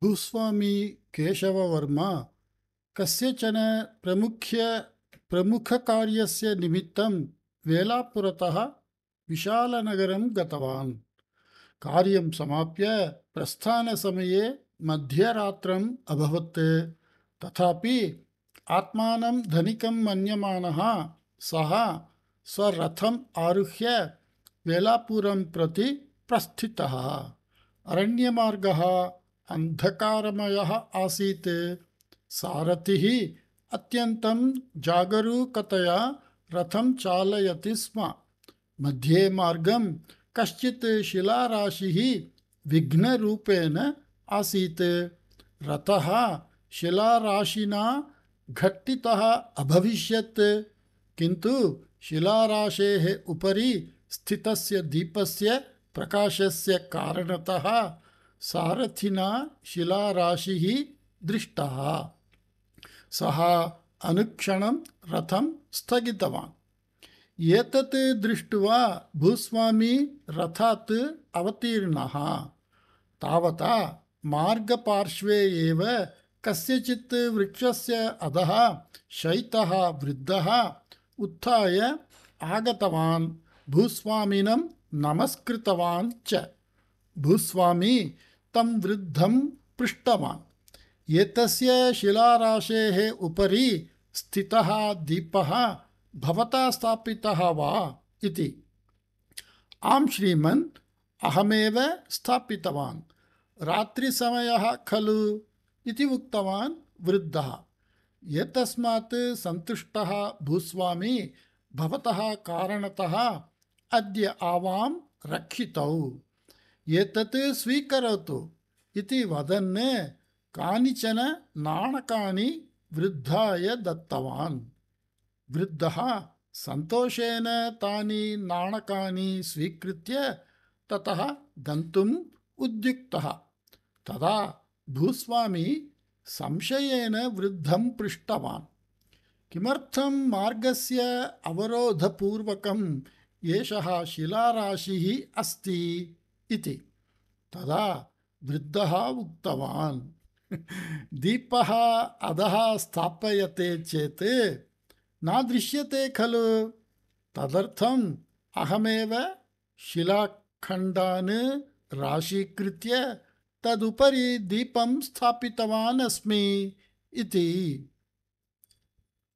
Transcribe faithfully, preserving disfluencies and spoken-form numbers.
भूस्वामी केशववर्मा कस्यचन प्रमुख्य प्रमुखकार्यस्य निमित्तं वेलापुरतः विशालनगरं गतवान्। कार्यं समाप्य प्रस्थानसमये मध्यरात्रम् अभवत्। तथापि आत्मानं धनिकं मन्यमानः सः स्वरथम् आरुह्य वेलापुरं प्रति प्रस्थितः। अरण्यमार्गः अन्धकारमयः आसीत्। सारथिः अत्यन्तं जागरूकतया रथं चालयति स्म। मध्ये मार्गं कश्चित् शिलाराशिः विघ्नरूपेण आसीत्। रथः शिलाराशिना घट्टितः अभविष्यत्, किन्तु शिलाराशेः उपरि स्थितस्य दीपस्य प्रकाशस्य कारणतः सारथिना शिलाराशिः दृष्टः। सः अनुक्षणं रथं स्थगितवान्। एतत् दृष्ट्वा भूस्वामी रथात् अवतीर्णः। तावता मार्गपार्श्वे एव कस्यचित् वृक्षस्य अधः शयितः वृद्धः उत्थाय आगतवान्। भूस्वामिनं नमस्कृतवान् च। भूस्वामी तं वृद्धं पृष्टवान्, एतस्य शिलाराशेः उपरि स्थितः दीपः भवता स्थापितः वा इति। आम् श्रीमन्, अहमेव स्थापितवान्। रात्रिसमयः खलु इति उक्तवान् वृद्धः। एतस्मात् सन्तुष्टः भूस्वामी भवतः कारणतः अद्य आवां रक्षितौ, एतत् स्वीकरोतु इति वदन् कानिचन नाणकानि वृद्धाय दत्तवान्। वृद्धः सन्तोषेण तानि नाणकानि स्वीकृत्य ततः गन्तुम् उद्युक्तः। तदा भूस्वामी संशयेन वृद्धं पृष्टवान्, किमर्थं मार्गस्य अवरोधपूर्वकम् एषः शिलाराशिः अस्ति इति। तदा वृद्धः उक्तवान्, दीपः अधः स्थापयते चेत् न दृश्यते खलु, तदर्थम् अहमेव शिलाखण्डान् राशीकृत्य तदुपरि दीपं स्थापितवान् अस्मि इति।